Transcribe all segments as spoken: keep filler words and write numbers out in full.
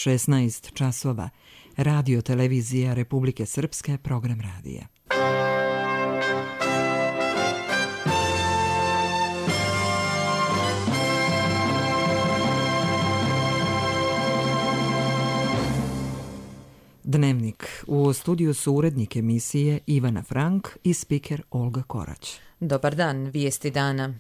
šesnaest časova. Radio televizija Republike Srpske, program radija. Dnevnik. U studiju su urednik emisije Ivana Frank i spiker Olga Korać. Dobar dan, vijesti dana.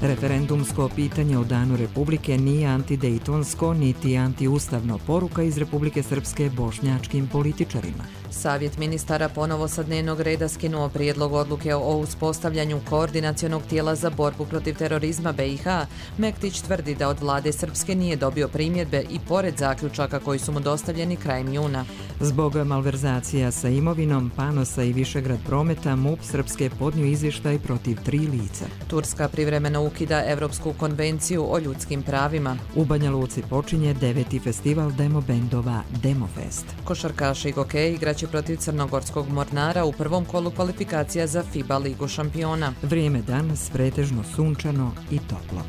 Referendumsko pitanje o Danu Republike nije antidejtonsko niti antiustavno, poruka iz Republike Srpske bošnjačkim političarima. Savjet ministara ponovo sa dnevnog reda skinuo prijedlog odluke o uspostavljanju koordinacionog tijela za borbu protiv terorizma B i H. Mektić tvrdi da od vlade Srpske nije dobio primjedbe i pored zaključaka koji su mu dostavljeni krajem juna. Zbog malverzacija sa imovinom, Panosa i Višegrad Prometa, MUP Srpske podnio izvještaj protiv tri lica. Turska privremeno ukida Evropsku konvenciju o ljudskim pravima. U Banja Luci počinje deveti festival demobendova Demofest. Košarkaši Gokeji igraće protiv Crnogorskog Mornara u prvom kolu kvalifikacija za FIBA ligu šampiona. Vrijeme danas pretežno sunčano i toplo.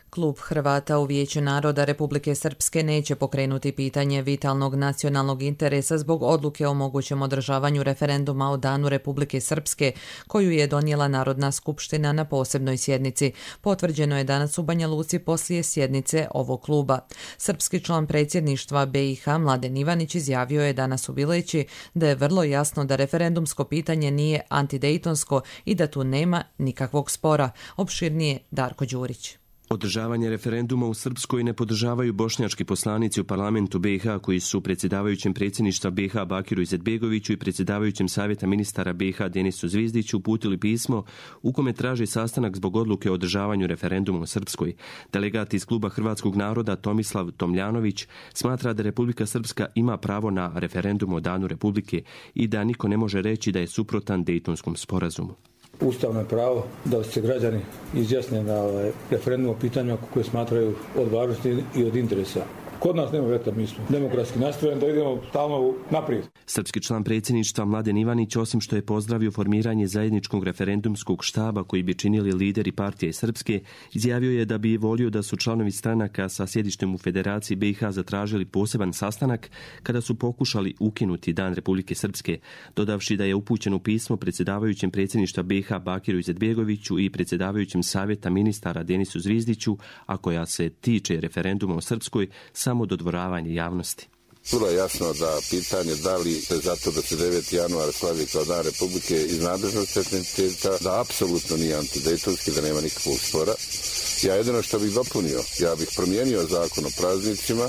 Klub Hrvata u Vijeću naroda Republike Srpske neće pokrenuti pitanje vitalnog nacionalnog interesa zbog odluke o mogućem održavanju referenduma o Danu Republike Srpske, koju je donijela Narodna skupština na posebnoj sjednici. Potvrđeno je danas u Banja Luci poslije sjednice ovog kluba. Srpski član predsjedništva B i H Mladen Ivanić izjavio je danas u Bileći da je vrlo jasno da referendumsko pitanje nije antidejtonsko i da tu nema nikakvog spora. Opširnije Darko Đurić. Održavanje referenduma u Srpskoj ne podržavaju bošnjački poslanici u parlamentu B i H koji su predsjedavajućem predsjedništva B i H Bakiru Izetbegoviću i predsjedavajućem savjeta ministara B i H Denisu Zvizdiću uputili pismo u kome traži sastanak zbog odluke o održavanju referenduma u Srpskoj. Delegat iz kluba Hrvatskog naroda Tomislav Tomljanović smatra da Republika Srpska ima pravo na referendum o Danu Republike i da niko ne može reći da je suprotan Dejtonskom sporazumu. Ustavno je pravo da se građani izjasne na ovaj referendum o pitanjima koje smatraju od važnosti i od interesa. Kod nas nema veta, mi smo demokratski nastrojeni da idemo stalno naprijed. Srpski član predsjedništva Mladen Ivanić, osim što je pozdravio formiranje zajedničkog referendumskog štaba koji bi činili lideri partije Srpske, izjavio je da bi volio da su članovi stranaka sa sjedištem u Federaciji B i H zatražili poseban sastanak kada su pokušali ukinuti Dan Republike Srpske, dodavši da je upućeno pismo predsjedavajućem predsjedništva B i H Bakiru Izetbegoviću i predsjedavajućem savjeta ministara Denisu Zvizdiću, a koja se tiče referenduma o Srpskoj, samo dodvoravanje javnosti. Vrlo je jasno da pitanje da li se zato da se deveti januar slavi kao Dan Republike iz nadležnosti etniciteta, da apsolutno nije antidejtonski, da nema nikakvog spora. Ja jedino što bih dopunio, ja bih promijenio zakon o praznicima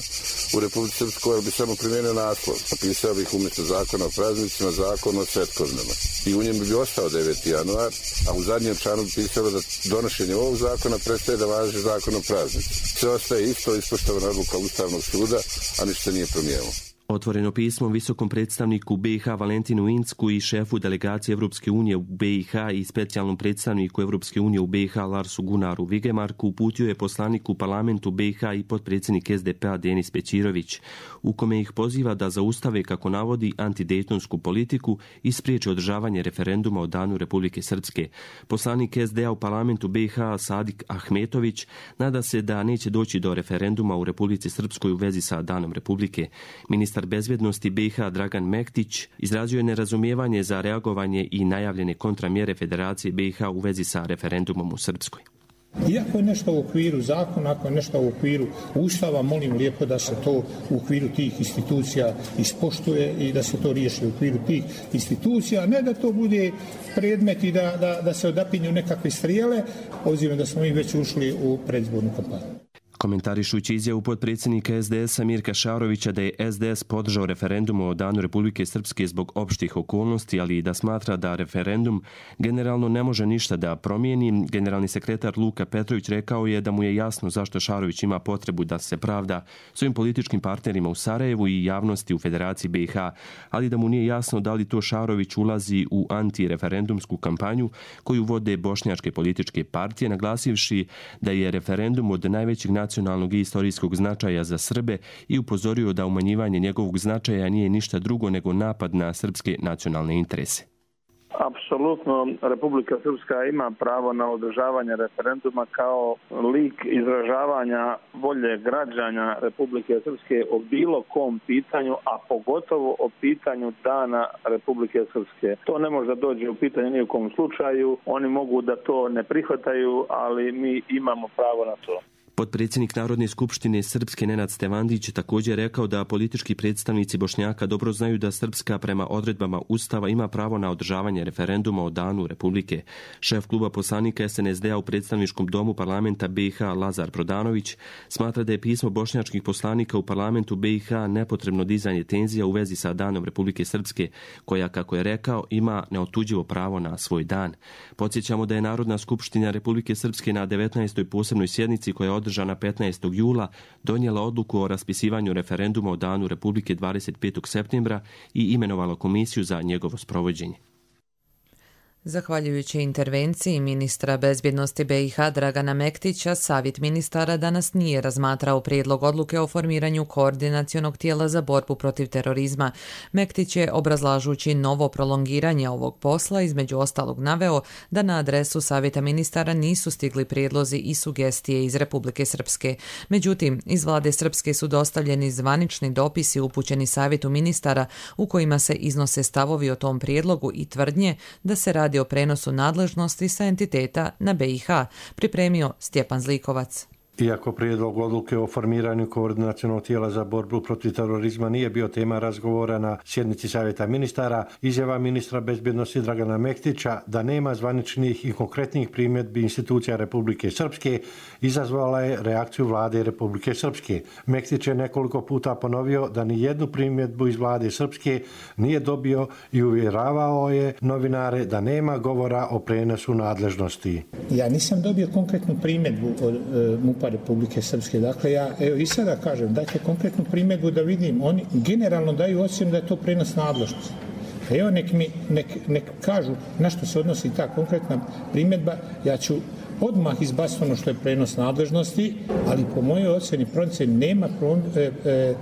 u Republici Srpskoj, ali bih samo promijenio naslov. Napisao bih umjesto zakona o praznicima zakon o svetkovnama. I u njem bi ostao deveti januar, a u zadnjem članu bi pisalo da donošenje ovog zakona prestaje da važi zakon o praznicima. Sve ostaje isto, ispoštovana odluka Ustavnog suda, a ništa nije promijenilo. Otvoreno pismo visokom predstavniku B i H Valentinu Incku i šefu delegacije Evropske unije u B i H i specijalnom predstavniku Evropske unije u B i H Larsu Gunaru Vigemarku uputio je poslanik u parlamentu B i H i potpredsjednik S D P-a Denis Pećirović, u kome ih poziva da zaustave, kako navodi, antidejtonsku politiku i spriječe održavanje referenduma o Danu Republike Srpske. Poslanik S D A u parlamentu B i H Sadik Ahmetović nada se da neće doći do referenduma u Republici Srpskoj u vezi sa Danom Republike. Ministar bezbjednosti B i H Dragan Mektić izrazio je nerazumijevanje za reagovanje i najavljene kontramjere Federacije B i H u vezi sa referendumom u Srpskoj. Iako je nešto u okviru zakona, ako je nešto u okviru Ustava, molim lijepo da se to u okviru tih institucija ispoštuje i da se to riješi u okviru tih institucija, a ne da to bude predmet i da, da, da se odapinju nekakve strijele, obzirom da smo mi već ušli u predizbornu kampanju. Komentarišući izjavu potpredsjednika S D S-a Mirka Šarovića da je S D S podržao referendum o Danu Republike Srpske zbog opštih okolnosti, ali i da smatra da referendum generalno ne može ništa da promijeni, generalni sekretar Luka Petrović rekao je da mu je jasno zašto Šarović ima potrebu da se pravda svojim političkim partnerima u Sarajevu i javnosti u Federaciji B i H, ali da mu nije jasno da li to Šarović ulazi u antireferendumsku kampanju koju vode bošnjačke političke partije, naglasivši da je referendum od najvećeg nacionalnog nacionalnog i istorijskog značaja za Srbe i upozorio da umanjivanje njegovog značaja nije ništa drugo nego napad na srpske nacionalne interese. Apsolutno, Republika Srpska ima pravo na održavanje referenduma kao lik izražavanja volje građana Republike Srpske o bilo kom pitanju, a pogotovo o pitanju dana Republike Srpske. To ne može da dođe u pitanje ni u kom slučaju, oni mogu da to ne prihvataju, ali mi imamo pravo na to. Potpredsjednik Narodne skupštine Srpske Nenad Stevandić također rekao da politički predstavnici Bošnjaka dobro znaju da Srpska prema odredbama Ustava ima pravo na održavanje referenduma o danu Republike. Šef kluba poslanika es en es de a u predstavničkom domu parlamenta be i ha Lazar Prodanović smatra da je pismo bošnjačkih poslanika u parlamentu be i ha nepotrebno dizanje tenzija u vezi sa danom Republike Srpske, koja, kako je rekao, ima neotuđivo pravo na svoj dan. Podsjećamo da je Narodna skupština Republike Srpske na devetnaestoj posebnoj sjednici koja je održana petnaestog jula donijela odluku o raspisivanju referenduma o danu Republike dvadeset petog septembra i imenovala komisiju za njegovo sprovođenje. Zahvaljujući intervenciji ministra bezbjednosti be i ha Dragana Mektića, Savjet ministara danas nije razmatrao prijedlog odluke o formiranju koordinacionog tijela za borbu protiv terorizma. Mektić je, obrazlažući novo prolongiranje ovog posla, između ostalog naveo da na adresu Savjeta ministara nisu stigli prijedlozi i sugestije iz Republike Srpske. Međutim, iz vlade Srpske su dostavljeni zvanični dopisi upućeni Savjetu ministara u kojima se iznose stavovi o tom prijedlogu i tvrdnje da se radi o prenosu nadležnosti sa entiteta na be i ha, pripremio Stjepan Zlikovac. Iako prijedlog odluke o formiranju koordinacionog tijela za borbu protiv terorizma nije bio tema razgovora na sjednici Savjeta ministara, izjava ministra bezbjednosti Dragana Mektića da nema zvaničnih i konkretnih primjedbi institucija Republike Srpske izazvala je reakciju vlade Republike Srpske. Mektić je nekoliko puta ponovio da ni jednu primjedbu iz vlade Srpske nije dobio i uvjeravao je novinare da nema govora o prenosu nadležnosti. Ja nisam dobio konkretnu primjedbu od e, MUP-a Republike Srpske. Dakle, ja evo i sada kažem, dajte konkretnu primjedbu da vidim. Oni generalno daju ocjenu da je to prenos nadležnosti. Evo nek mi nek, nek kažu na što se odnosi ta konkretna primjedba, ja ću odmah izbaciti ono što je prenos nadležnosti, ali po mojoj ocjeni procjeni nema pro, e, e,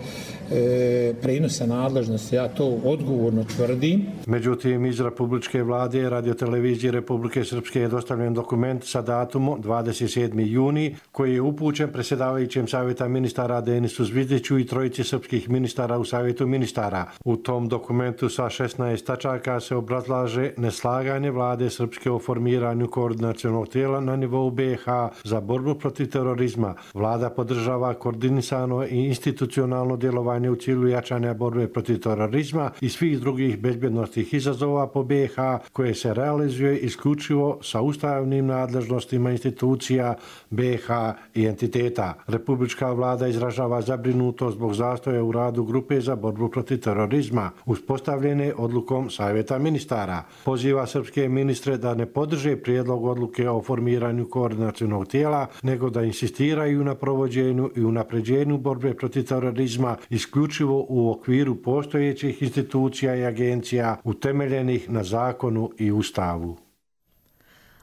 e, prenosa nadležnosti, ja to odgovorno tvrdim. Međutim, iz Republičke vlade radiotelevizije Republike Srpske je dostavljen dokument sa datumom dvadeset sedmi juni koji je upućen predsjedavajućem Savjeta ministara Denisu Zvizdiću i trojici srpskih ministara u Savjetu ministara. U tom dokumentu sa šesnaest tačaka se obrazlaže neslaganje vlade Srpske o formiranju koordinacionog tijela na nivou be i ha za borbu protiv terorizma. Vlada podržava koordinisano i institucionalno djelovanje u cilju jačanja borbe protiv terorizma i svih drugih bezbjednostnih izazova po be i ha koje se realizuje isključivo sa ustavnim nadležnostima institucija be i ha i entiteta. Republička vlada izražava zabrinutost zbog zastoja u radu grupe za borbu protiv terorizma uspostavljene odlukom Savjeta ministara. Poziva srpske ministre da ne podrže prijedlog odluke o formiranju koordinacionog tijela, nego da insistiraju na provođenju i unapređenju borbe protiv terorizma isključivo u okviru postojećih institucija i agencija utemeljenih na zakonu i ustavu.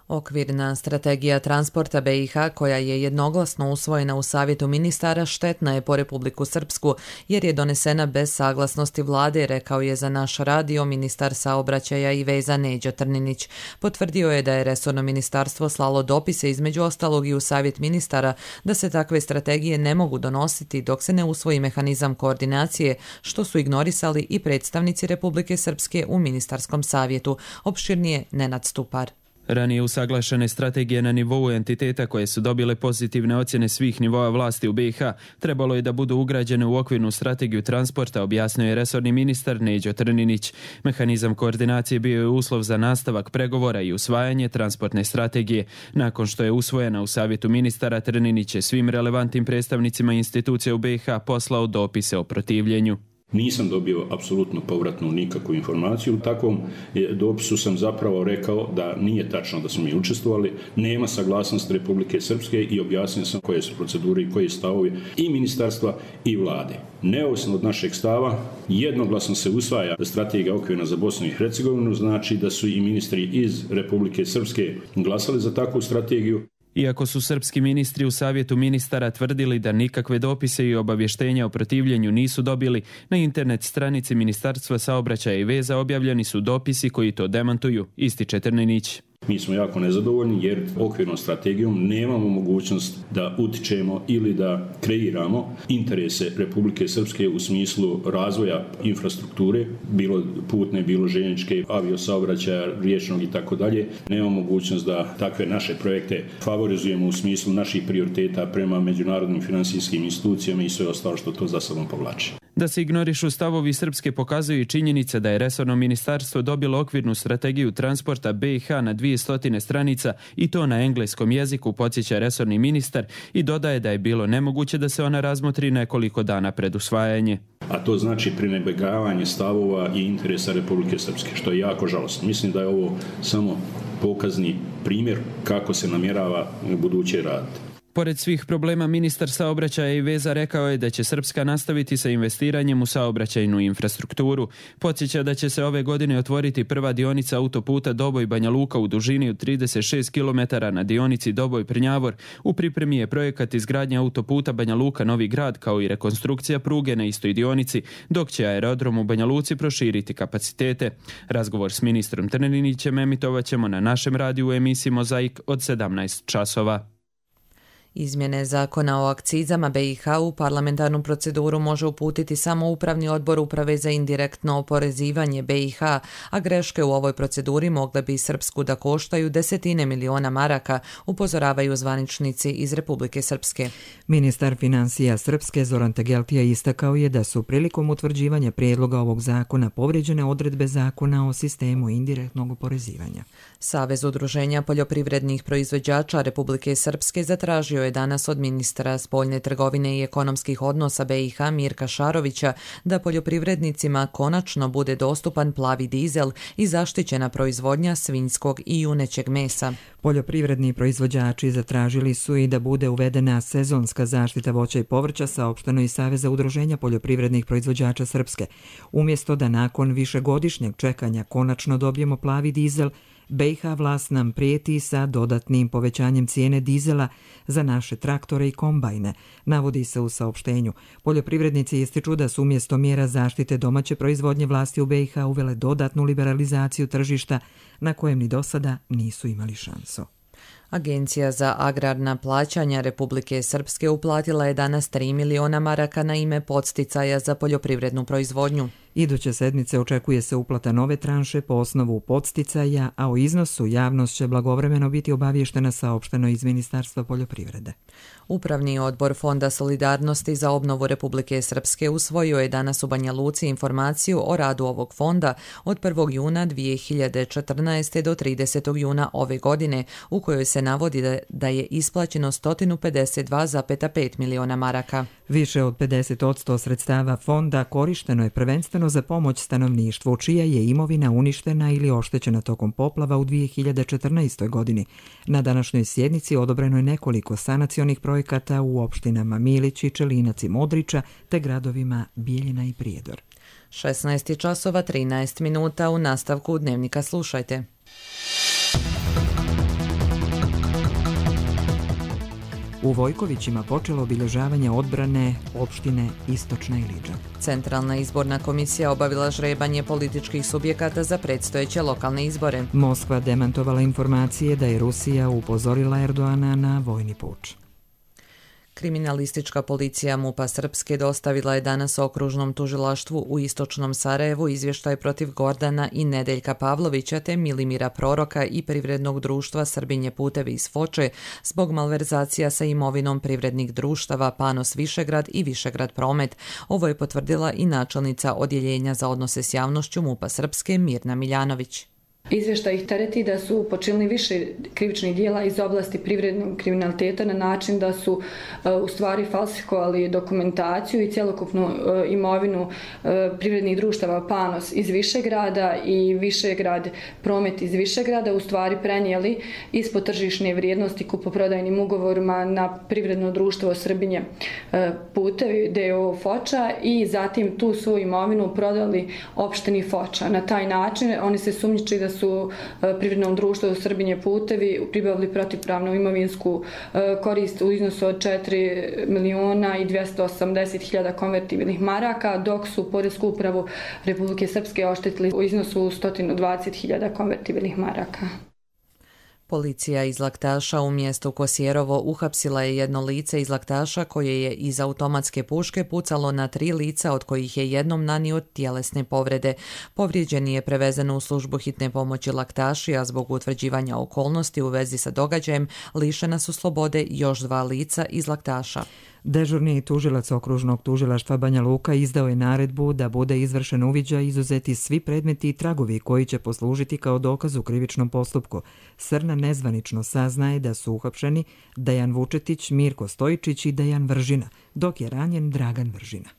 Okvirna strategija transporta be i ha, koja je jednoglasno usvojena u Savjetu ministara, štetna je po Republiku Srpsku jer je donesena bez saglasnosti vlade, rekao je za naš radio ministar saobraćaja i veza Neđo Trninić. Potvrdio je da je resorno ministarstvo slalo dopise između ostalog i u Savjet ministara da se takve strategije ne mogu donositi dok se ne usvoji mehanizam koordinacije, što su ignorisali i predstavnici Republike Srpske u ministarskom savjetu. Opširnije Nenad Stupar. Ranije usaglašene strategije na nivou entiteta koje su dobile pozitivne ocjene svih nivoa vlasti u be i ha trebalo je da budu ugrađene u okvirnu strategiju transporta, objasnio je resorni ministar Neđo Trninić. Mehanizam koordinacije bio je uslov za nastavak pregovora i usvajanje transportne strategije. Nakon što je usvojena u Savjetu ministara, Trninić je svim relevantnim predstavnicima institucija u be i ha poslao dopise o protivljenju. Nisam dobio apsolutno povratnu nikakvu informaciju. U takvom dopisu sam zapravo rekao da nije tačno da smo mi učestvovali, nema saglasnosti Republike Srpske i objasnio sam koje su procedure i koje stavovi i ministarstva i vlade. Neovisno od našeg stava, jednoglasno se usvaja strategija okvirna za Bosnu i Hercegovinu, znači da su i ministri iz Republike Srpske glasali za takvu strategiju. Iako su srpski ministri u savjetu ministara tvrdili da nikakve dopise i obavještenja o protivljenju nisu dobili, na internet stranici Ministarstva saobraćaja i veza objavljeni su dopisi koji to demantuju, ističe Trninić. Mi smo jako nezadovoljni jer okvirnom strategijom nemamo mogućnost da utičemo ili da kreiramo interese Republike Srpske u smislu razvoja infrastrukture, bilo putne, bilo željezničke, aviosaobraćaja, riječnog i tako dalje. Nemamo mogućnost da takve naše projekte favorizujemo u smislu naših prioriteta prema međunarodnim financijskim institucijama i sve ostalo što to za sobom povlači. Da se ignorišu stavovi Srpske pokazuju i činjenica da je resorno ministarstvo dobilo okvirnu strategiju transporta B i H na dvije stotine stranica i to na engleskom jeziku, podsjeća resorni ministar i dodaje da je bilo nemoguće da se ona razmotri nekoliko dana pred usvajanje. A to znači prenebregavanje stavova i interesa Republike Srpske, što je jako žalostno. Mislim da je ovo samo pokazni primjer kako se namjerava buduće raditi. Pored svih problema, ministar saobraćaja i veza rekao je da će Srpska nastaviti sa investiranjem u saobraćajnu infrastrukturu. Podsjeća da će se ove godine otvoriti prva dionica autoputa Doboj-Banja Luka u dužini od trideset šest kilometara na dionici Doboj-Prnjavor. U pripremi je projekat izgradnje autoputa Banja Luka-Novi Grad kao i rekonstrukcija pruge na istoj dionici, dok će aerodrom u Banja Luci proširiti kapacitete. Razgovor s ministrom Trninićem emitovat ćemo na našem radiju u emisiji Mozaik od sedamnaest časova. Izmjene zakona o akcizama B i H u parlamentarnu proceduru može uputiti samo Upravni odbor Uprave za indirektno oporezivanje B i H, a greške u ovoj proceduri mogle bi Srpsku da koštaju desetine miliona maraka, upozoravaju zvaničnici iz Republike Srpske. Ministar financija Srpske Zoran Tegeltija istakao je da su prilikom utvrđivanja prijedloga ovog zakona povrijeđene odredbe zakona o sistemu indirektnog oporezivanja. Savez udruženja poljoprivrednih proizvođača Republike Srpske zatražio je danas od ministra spoljne trgovine i ekonomskih odnosa B i H Mirka Šarovića da poljoprivrednicima konačno bude dostupan plavi dizel i zaštićena proizvodnja svinjskog i junećeg mesa. Poljoprivredni proizvođači zatražili su i da bude uvedena sezonska zaštita voća i povrća, saopšteno iz Saveza udruženja poljoprivrednih proizvođača Srpske. Umjesto da nakon višegodišnjeg čekanja konačno dobijemo plavi dizel, B i H vlast nam prijeti sa dodatnim povećanjem cijene dizela za naše traktore i kombajne, navodi se u saopštenju. Poljoprivrednici ističu da su umjesto mjera zaštite domaće proizvodnje vlasti u B i H uvele dodatnu liberalizaciju tržišta na kojem ni do sada nisu imali šansu. Agencija za agrarna plaćanja Republike Srpske uplatila je danas tri miliona maraka na ime podsticaja za poljoprivrednu proizvodnju. Iduće sedmice očekuje se uplata nove tranše po osnovu podsticaja, a o iznosu javnost će blagovremeno biti obavještena, saopšteno iz Ministarstva poljoprivrede. Upravni odbor Fonda solidarnosti za obnovu Republike Srpske usvojio je danas u Banja Luci informaciju o radu ovog fonda od prvog juna dvije hiljade četrnaeste. do tridesetog juna ove godine, u kojoj se navodi da, da je isplaćeno sto pedeset dva zarez pet miliona maraka. Više od pedeset posto sredstava fonda korišteno je prvenstveno za pomoć stanovništvu, čija je imovina uništena ili oštećena tokom poplava u dvije hiljade četrnaestoj. godini. Na današnjoj sjednici odobreno je nekoliko sanacionih projekata u opštinama Milići, Čelinac i Modriča te gradovima Bijeljina i Prijedor. šesnaest časova trinaest minuta, u nastavku dnevnika slušajte. U Vojkovićima počelo obilježavanje odbrane opštine Istočna Ilidža. Centralna izborna komisija obavila žrebanje političkih subjekata za predstojeće lokalne izbore. Moskva demantovala informacije da je Rusija upozorila Erdoana na vojni puč. Kriminalistička policija MUP-a Srpske dostavila je danas okružnom tužilaštvu u Istočnom Sarajevu izvještaj protiv Gordana i Nedeljka Pavlovića te Milimira Proroka i privrednog društva Srbinje putevi iz Foče zbog malverzacija sa imovinom privrednih društava Panos Višegrad i Višegrad Promet. Ovo je potvrdila i načelnica Odjeljenja za odnose s javnošću MUP-a Srpske Mirna Miljanović. Izvještaj ih tereti da su počinili više krivičnih dijela iz oblasti privrednog kriminaliteta na način da su uh, u stvari falsifikovali dokumentaciju i cjelokupnu uh, imovinu uh, privrednih društava Panos iz Višegrada i Višegrad Promet iz Višegrada u stvari prenijeli ispod tržišne vrijednosti kupoprodajnim ugovorima na privredno društvo Srbinje uh, putevi d o o Foča i zatim tu svoju imovinu prodali opštini Foča. Na taj način oni se sumnjiči da su su privrednom društvu Srbinje putevi pribavili protivpravnu imovinsku korist u iznosu od četiri miliona i dvjesto osamdeset hiljada konvertibilnih maraka, dok su Poresku upravu Republike Srpske oštetili u iznosu sto dvadeset hiljada konvertibilnih maraka. Policija iz Laktaša u mjestu Kosjerovo uhapsila je jedno lice iz Laktaša koje je iz automatske puške pucalo na tri lica, od kojih je jednom nanio tjelesne povrede. Povrijeđeni je prevezen u službu hitne pomoći Laktaši, a zbog utvrđivanja okolnosti u vezi sa događajem lišena su slobode još dva lica iz Laktaša. Dežurni tužilac okružnog tužilaštva Banja Luka izdao je naredbu da bude izvršen uviđaj, izuzeti svi predmeti i tragovi koji će poslužiti kao dokaz u krivičnom postupku. Srna nezvanično saznaje da su uhapšeni Dejan Vučetić, Mirko Stojičić i Dejan Vržina, dok je ranjen Dragan Vržina.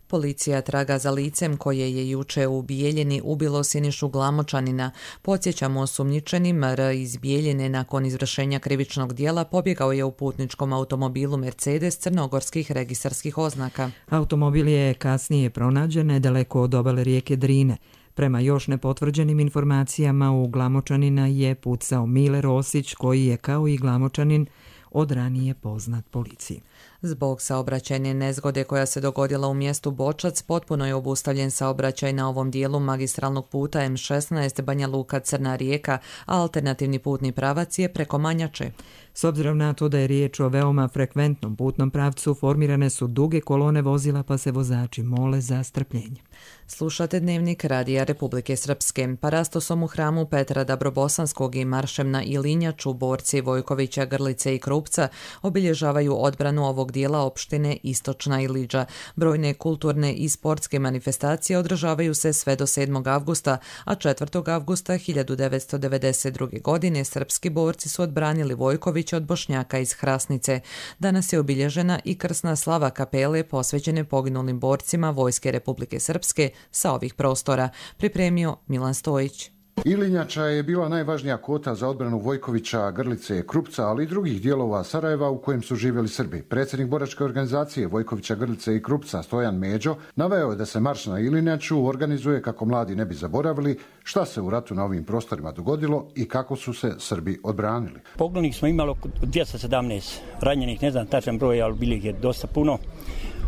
Policija traga za licem koje je juče u Bijeljini ubilo Sinišu Glamočanina. Podsjećamo, osumnjičeni M R iz Bijeljine nakon izvršenja krivičnog dijela pobjegao je u putničkom automobilu Mercedes crnogorskih registarskih oznaka. Automobil je kasnije pronađen nedaleko od obale rijeke Drine. Prema još nepotvrđenim informacijama, u Glamočanina je pucao Mile Rosić, koji je kao i Glamočanin od ranije poznat policiji. Zbog saobraćajne nezgode koja se dogodila u mjestu Bočac, potpuno je obustavljen saobraćaj na ovom dijelu magistralnog puta M šesnaest Banja Luka Crna Rijeka, a alternativni putni pravac je preko Manjače. S obzirom na to da je riječ o veoma frekventnom putnom pravcu, formirane su duge kolone vozila, pa se vozači mole za strpljenje. Slušate Dnevnik Radija Republike Srpske. Parastosom u hramu Petra Dabrobosanskog i maršem na Ilinjaču borci Vojkovića, Grlice i Krupca obilježavaju odbranu ovog dijela opštine Istočna Iliđa. Brojne kulturne i sportske manifestacije održavaju se sve do sedmog avgusta, a četvrtog avgusta hiljadu devetsto devedeset druge. godine srpski borci su odbranili Vojkovića od Bošnjaka iz Hrasnice. Danas je obilježena i krsna slava kapele posvećene poginulim borcima Vojske Republike Srpske sa ovih prostora, pripremio Milan Stojić. Ilinjača je bila najvažnija kota za odbranu Vojkovića, Grlice, Krupca, ali i drugih dijelova Sarajeva u kojem su živjeli Srbi. Predsjednik boračke organizacije Vojkovića, Grlice i Krupca, Stojan Međo, naveo je da se marš na Ilinjaču organizuje kako mladi ne bi zaboravili šta se u ratu na ovim prostorima dogodilo i kako su se Srbi odbranili. Poginulih smo imali oko dvjesto sedamnaest, ranjenih ne znam tačan broj, ali bili je dosta puno.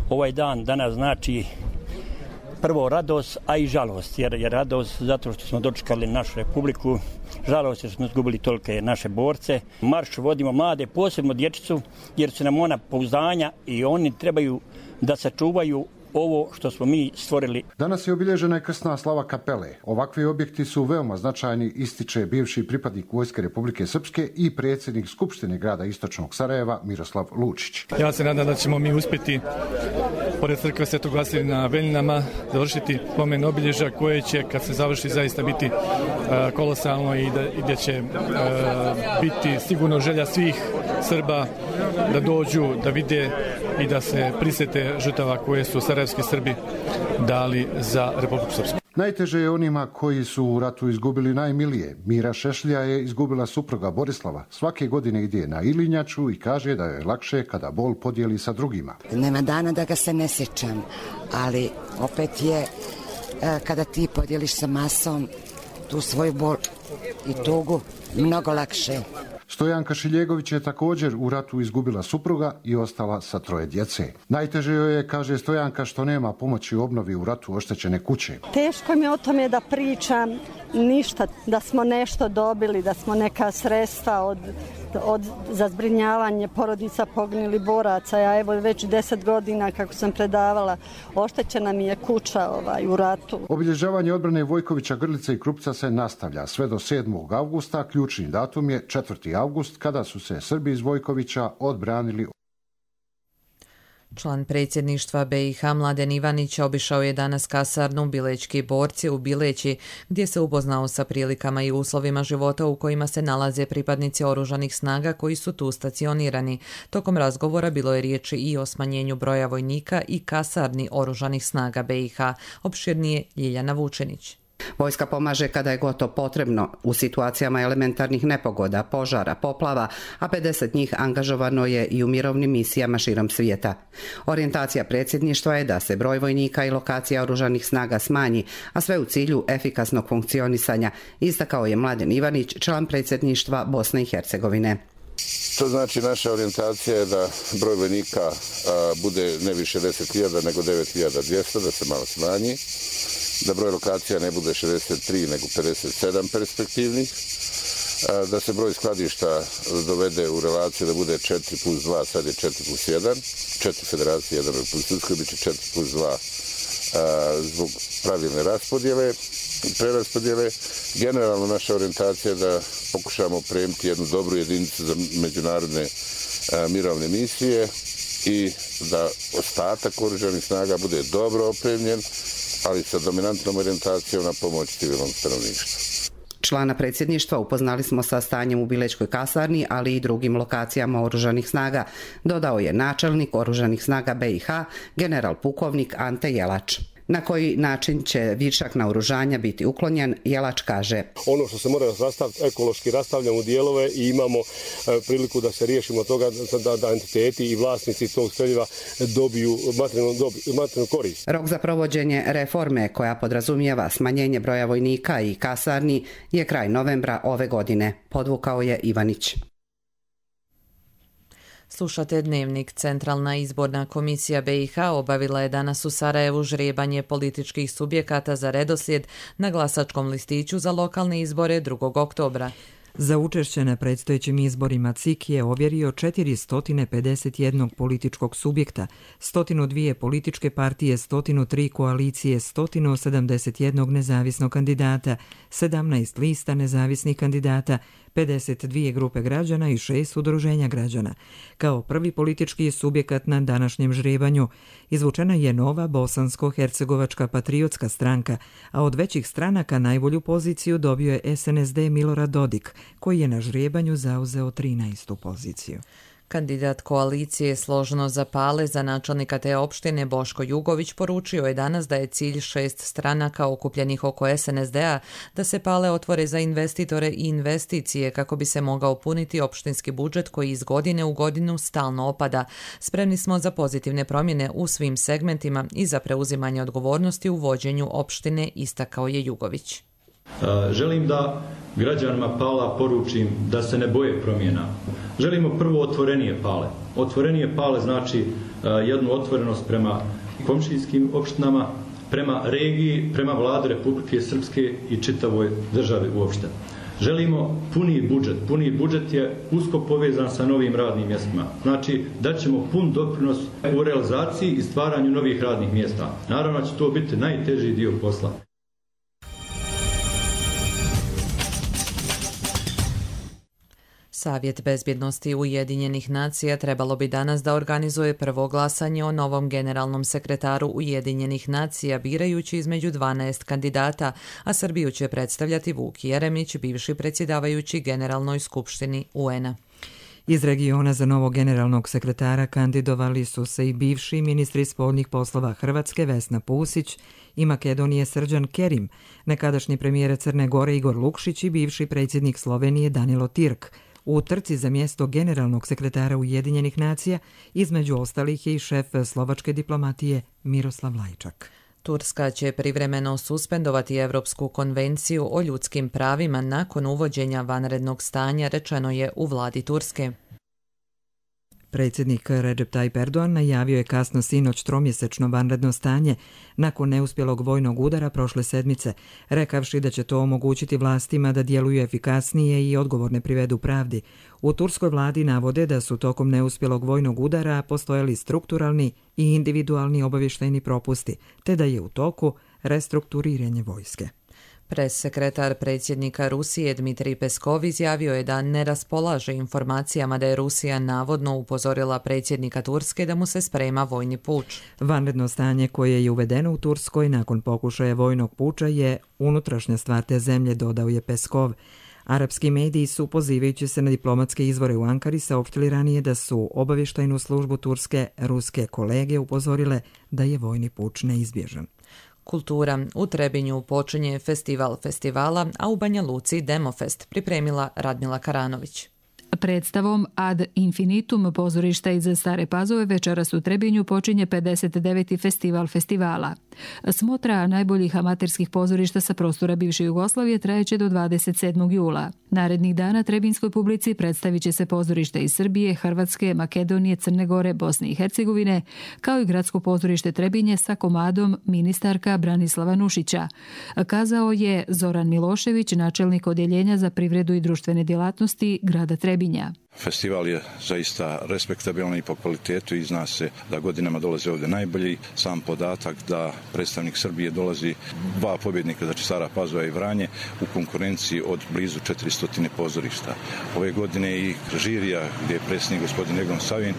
Ovaj dan danas znači prvo radost, a i žalost, jer je radost zato što smo dočekali našu republiku, žalost jer smo izgubili tolike naše borce. Marš vodimo mlade, posebno dječicu, jer su nam ona pouzdanja i oni trebaju da sačuvaju ovo što smo mi stvorili. Danas je obilježena i krsna slava kapele. Ovakvi objekti su veoma značajni, ističe bivši pripadnik Vojske Republike Srpske i predsjednik Skupštine grada Istočnog Sarajeva Miroslav Lučić. Ja se nadam da ćemo mi uspjeti pored crkve Svetog Vasilija na Veljinama završiti pomen obilježja koje će kad se završi zaista biti uh, kolosalno i da, i da će uh, biti sigurno želja svih Srba da dođu, da vide i da se prisjete žrtava koje su sarajevski Srbi dali za Republiku Srpsku. Najteže je onima koji su u ratu izgubili najmilije. Mira Šešlja je izgubila supruga Borislava. Svake godine ide na Ilinjaču i kaže da je lakše kada bol podijeli sa drugima. Nema dana da ga se ne sjećam, ali opet je kada ti podijeliš sa masom tu svoju bol i tugu mnogo lakše. Stojanka Šiljegović je također u ratu izgubila supruga i ostala sa troje djece. Najteže joj je, kaže Stojanka, što nema pomoći u obnovi u ratu oštećene kuće. Teško mi je o tome da pričam, ništa, da smo nešto dobili, da smo neka sredstva od, od, za zbrinjavanje porodica poginulih boraca. Ja evo već deset godina kako sam predavala, oštećena mi je kuća ovaj, u ratu. Obilježavanje odbrane Vojkovića, Grlice i Krupca se nastavlja sve do sedmog avgusta. Ključni datum je četvrti avgust kada su se Srbi iz Vojkovića odbranili. Član predsjedništva B i H Mladen Ivanić obišao je danas kasarnu Bilečki borci u Bileći, gdje se upoznao sa prilikama i uslovima života u kojima se nalaze pripadnici oružanih snaga koji su tu stacionirani. Tokom razgovora bilo je riječi i o smanjenju broja vojnika i kasarni oružanih snaga B i H. Opširnije Ljiljana Vučenić. Vojska pomaže kada je gotovo potrebno u situacijama elementarnih nepogoda, požara, poplava, a pedeset njih angažovano je i u mirovnim misijama širom svijeta. Orijentacija predsjedništva je da se broj vojnika i lokacija oružanih snaga smanji, a sve u cilju efikasnog funkcionisanja, istakao je Mladen Ivanić, član predsjedništva Bosne i Hercegovine. To znači naša orijentacija je da broj vojnika a, bude ne više deset hiljada nego devet hiljada dvjesto, da se malo smanji, da broj lokacija ne bude šezdeset tri nego pedeset sedam perspektivnih, a, da se broj skladišta dovede u relaciju da bude četiri plus dva, sad je četiri plus jedan, četiri federacije, jedan plus Srpskoj, bit će četiri plus dva a, zbog pravilne raspodjele. preraspodjele. Generalno naša orijentacija je da pokušamo premiti jednu dobru jedinicu za međunarodne a, mirovne misije i da ostatak oružanih snaga bude dobro opremljen, ali sa dominantnom orijentacijom na pomoć civilnom stanovništvu. Člana predsjedništva upoznali smo sa stanjem u Bilečkoj kasarni, ali i drugim lokacijama oružanih snaga, dodao je načelnik oružanih snaga B i H, general pukovnik Ante Jelač. Na koji način će višak naoružanja biti uklonjen, Jelač kaže. Ono što se mora rastaviti, ekološki rastavljamo u dijelove i imamo e, priliku da se riješimo toga da, da entiteti i vlasnici tog streljiva dobiju materijalnu, dobiju materijalnu korist. Rok za provođenje reforme koja podrazumijeva smanjenje broja vojnika i kasarni je kraj novembra ove godine, podvukao je Ivanić. Slušate Dnevnik. Centralna izborna komisija B i H obavila je danas u Sarajevu žrebanje političkih subjekata za redoslijed na glasačkom listiću za lokalne izbore drugog oktobra. Za učešće na predstojećim izborima C I K je ovjerio četiristo pedeset jedan političkog subjekta, sto dva političke partije, sto tri koalicije, sto sedamdeset jedan nezavisnog kandidata, sedamnaest lista nezavisnih kandidata, pedeset dvije grupe građana i šest udruženja građana. Kao prvi politički subjekat na današnjem žrebanju izvučena je nova bosansko-hercegovačka patriotska stranka, a od većih stranaka najbolju poziciju dobio je S N S D Milorad Dodik, koji je na žrebanju zauzeo trinaestu poziciju. Kandidat koalicije Složno za Pale za načelnika te opštine Boško Jugović poručio je danas da je cilj šest stranaka okupljenih oko S N S D-a da se Pale otvore za investitore i investicije kako bi se mogao puniti opštinski budžet koji iz godine u godinu stalno opada. Spremni smo za pozitivne promjene u svim segmentima i za preuzimanje odgovornosti u vođenju opštine, istakao je Jugović. Želim da građanima Pala poručim da se ne boje promjena. Želimo prvo otvorenije Pale. Otvorenije Pale znači jednu otvorenost prema komšijskim opštinama, prema regiji, prema vladi Republike Srpske i čitavoj državi uopšte. Želimo puniji budžet. Puniji budžet je usko povezan sa novim radnim mjestima. Znači da ćemo pun doprinos u realizaciji i stvaranju novih radnih mjesta. Naravno će to biti najteži dio posla. Savjet bezbjednosti Ujedinjenih nacija trebalo bi danas da organizuje prvo glasanje o novom generalnom sekretaru Ujedinjenih nacija, birajući između dvanaest kandidata, a Srbiju će predstavljati Vuk Jeremić, bivši predsjedavajući Generalnoj skupštini U N-a. Iz regiona za novog generalnog sekretara kandidovali su se i bivši ministri spoljnih poslova Hrvatske Vesna Pusić i Makedonije Srđan Kerim, nekadašnji premijer Crne Gore Igor Lukšić i bivši predsjednik Slovenije Danilo Tirk. U trci za mjesto generalnog sekretara Ujedinjenih nacija između ostalih je i šef slovačke diplomatije Miroslav Lajčak. Turska će privremeno suspendovati Evropsku konvenciju o ljudskim pravima nakon uvođenja vanrednog stanja, rečeno je u vladi Turske. Predsjednik Recep Tayyip Erdogan najavio je kasno sinoć tromjesečno vanredno stanje nakon neuspjelog vojnog udara prošle sedmice, rekavši da će to omogućiti vlastima da djeluju efikasnije i odgovorne privedu pravdi. U turskoj vladi navode da su tokom neuspjelog vojnog udara postojali strukturalni i individualni obavještajni propusti, te da je u toku restrukturiranje vojske. Pressekretar predsjednika Rusije Dmitrij Peskov izjavio je da ne raspolaže informacijama da je Rusija navodno upozorila predsjednika Turske da mu se sprema vojni puč. Vanredno stanje koje je uvedeno u Turskoj nakon pokušaja vojnog puča je unutrašnja stvar te zemlje, dodao je Peskov. Arapski mediji su, pozivajući se na diplomatske izvore u Ankari, saopštili ranije da su obavještajnu službu Turske ruske kolege upozorile da je vojni puč neizbježan. Kultura. U Trebinju počinje festival festivala, a u Banja Luci Demofest, pripremila Radmila Karanović. Predstavom Ad Infinitum pozorišta iz Stare Pazove večeras u Trebinju počinje pedeset deveti festival festivala. Smotra najboljih amaterskih pozorišta sa prostora bivše Jugoslavije trajeće do dvadeset sedmog jula. Narednih dana trebinskoj publici predstavit će se pozorište iz Srbije, Hrvatske, Makedonije, Crne Gore, Bosne i Hercegovine, kao i gradsko pozorište Trebinje sa komadom ministarka Branislava Nušića, kazao je Zoran Milošević, načelnik odjeljenja za privredu i društvene djelatnosti grada Trebinja. Festival je zaista respektabilan i po kvalitetu i zna se da godinama dolaze ovdje najbolji. Sam podatak da predstavnik Srbije dolazi dva pobjednika, znači Stara Pazova i Vranje, u konkurenciji od blizu četiristo pozorišta. Ove godine i žirija gdje je predsjednik gospodin Egon Savin.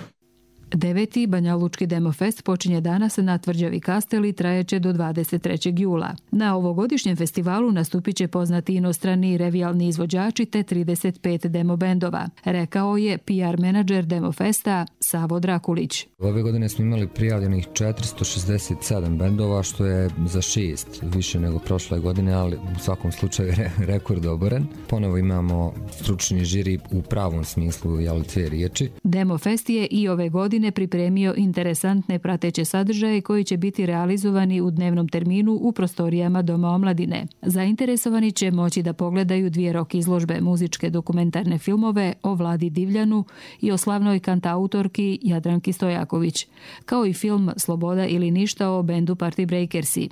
Deveti Banja Lučki Demofest počinje danas na Tvrđavi Kastel i trajeće do dvadeset trećeg jula. Na ovogodišnjem festivalu nastupit će poznati inostrani revijalni izvođači te trideset pet demo bendova, rekao je P R menadžer Demofesta Savo Drakulić. Ove godine smo imali prijavljenih četiristo šezdeset sedam bendova, što je za šest više nego prošle godine, ali u svakom slučaju re, rekord oboren. Ponovo imamo stručni žiri u pravom smislu, jel, dvije riječi. Demofest je i ove godine pripremio interesantne prateće sadržaje koji će biti realizovani u dnevnom terminu u prostorijama Doma omladine. Zainteresovani će moći da pogledaju dvije rok izložbe muzičke dokumentarne filmove o Vladi Divljanu i o slavnoj kantautorki Jadranki Stojaković, kao i film Sloboda ili ništa o bendu Party Breakersi.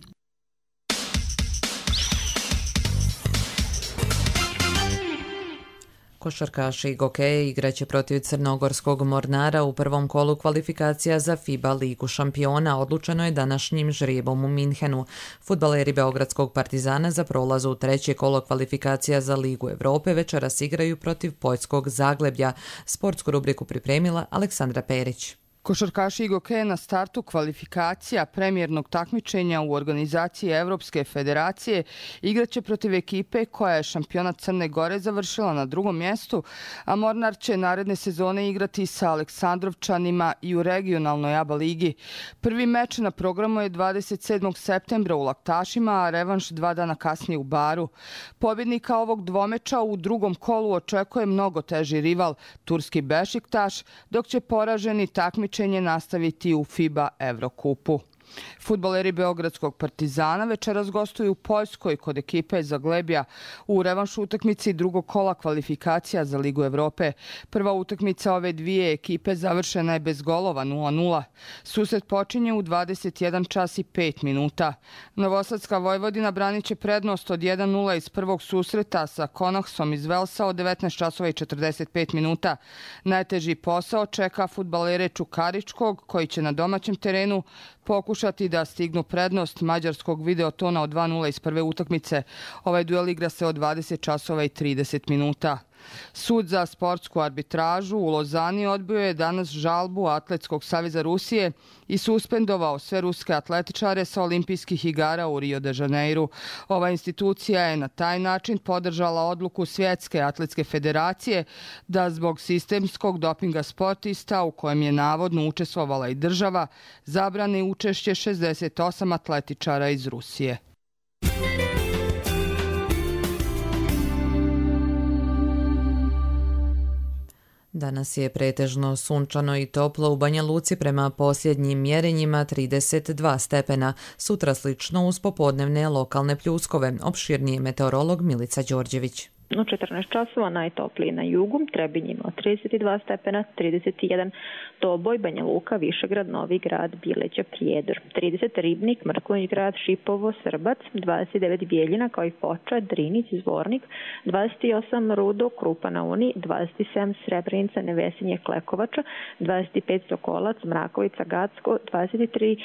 Košarkaši Gokeje igraće protiv crnogorskog Mornara u prvom kolu kvalifikacija za FIBA ligu šampiona. Odlučeno je današnjim žrijebom u Minhenu. Fudbaleri Beogradskog Partizana za prolaz u treće kolo kvalifikacija za Ligu Evrope večeras igraju protiv poljskog Zagleblja. Sportsku rubriku pripremila Aleksandra Perić. Košarkaši Igoke na startu kvalifikacija premijernog takmičenja u organizaciji Evropske federacije igraće protiv ekipe koja je šampionat Crne Gore završila na drugom mjestu, a Mornar će naredne sezone igrati sa Aleksandrovčanima i u regionalnoj A B A ligi. Prvi meč na programu je dvadeset sedmog septembra u Laktašima, a revanš dva dana kasnije u Baru. Pobjednika ovog dvomeča u drugom kolu očekuje mnogo teži rival, turski Bešiktaš, dok će poraženi takmičenje nastaviti u FIBA Evrokupu. Fudbaleri Beogradskog Partizana večeras gostuju u Poljskoj kod ekipe Zaglebja u revanšu utakmici drugog kola kvalifikacija za Ligu Evrope. Prva utakmica ove dvije ekipe završena je bez golova nula nula. Susret počinje u dvadeset jedan čas i pet minuta. Novosadska Vojvodina branit će prednost od jedan nula iz prvog susreta sa Konahsom iz Velsa od devetnaest časova i četrdeset pet minuta. Najteži posao čeka fudbalere Čukaričkog koji će na domaćem terenu pokušati da stignu prednost mađarskog Videotona od dva nula iz prve utakmice. Ovaj duel igra se od dvadeset časova i trideset minuta. Sud za sportsku arbitražu u Lozani odbio je danas žalbu Atletskog saveza Rusije i suspendovao sve ruske atletičare sa olimpijskih igara u Rio de Janeiru. Ova institucija je na taj način podržala odluku Svjetske atletske federacije da zbog sistemskog dopinga sportista, u kojem je navodno učestvovala i država, zabrani učešće šezdeset osam atletičara iz Rusije. Danas je pretežno sunčano i toplo u Banja Luci prema posljednjim mjerenjima trideset dva stepena. Sutra slično uz popodnevne lokalne pljuskove. Opširniji meteorolog Milica Đorđević. U četrnaest časova najtopliji na jugu, Trebinj imao trideset dva stepena, trideset jedan Doboj, Banja Luka, Višegrad, Novi Grad, Bileća, Prijedor, trideset Ribnik, Mrkonjić Grad, Šipovo, Srbac, dvadeset devet Bijeljina kao i Foča, Drinić, Zvornik, dvadeset osam Rudo, Krupa na Uni, dvadeset sedam Srebrenica, Nevesinje, Klekovača, dvadeset pet Sokolac, Mrakovica, Gacko, dvadeset tri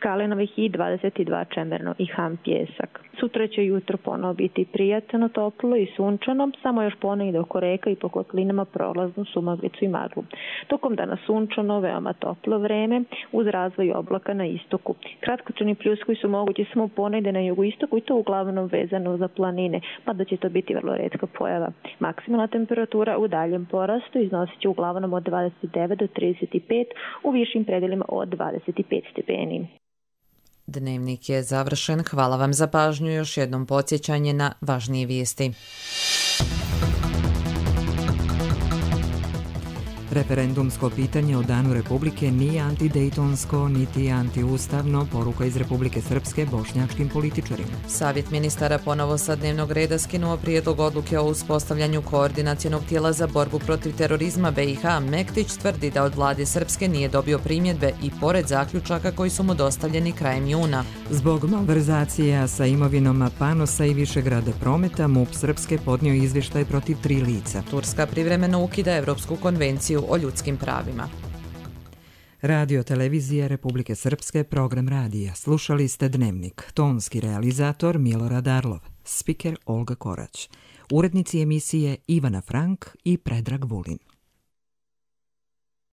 Kalenovih i dvadeset dva Čemerno i Ham Pjesak. Sutra će jutro ponovo biti prijatno, toplo i sunčano, samo još ponegdje oko reka i po kotlinama prolaznu sumaglicu i maglu. Tokom dana sunčano, veoma toplo vreme uz razvoj oblaka na istoku. Kratkotrajni pljuskovi su mogući samo ponegdje na jugoistoku i to uglavnom vezano za planine, mada će to biti vrlo retka pojava. Maksimalna temperatura u daljem porastu iznosit će uglavnom od dvadeset devet do trideset pet, u višim predelima od dvadeset pet stepeni. Dnevnik je završen. Hvala vam za pažnju. Još jednom podsjećanje na važnije vijesti. Referendumsko pitanje o Danu Republike nije antidejtonsko niti antiustavno, poruka iz Republike Srpske bošnjačkim političarima. Savjet ministara ponovo sa dnevnog reda skinuo prijedlog odluke o uspostavljanju koordinacionog tijela za borbu protiv terorizma B i H. Mektić tvrdi da od vlade Srpske nije dobio primjedbe i pored zaključaka koji su mu dostavljeni krajem juna. Zbog malverzacija sa imovinom Panosa i Višegrada prometa, M U P Srpske podnio izvještaj protiv tri lica. Turska privremeno ukida Evropsku konvenciju o ljudskim pravima. Radio televizija Republike Srpske, program radija. Slušali ste Dnevnik. Tonski realizator Milorad Arlov. Spiker Olga Korać. Urednici emisije Ivana Frank i Predrag Vulin.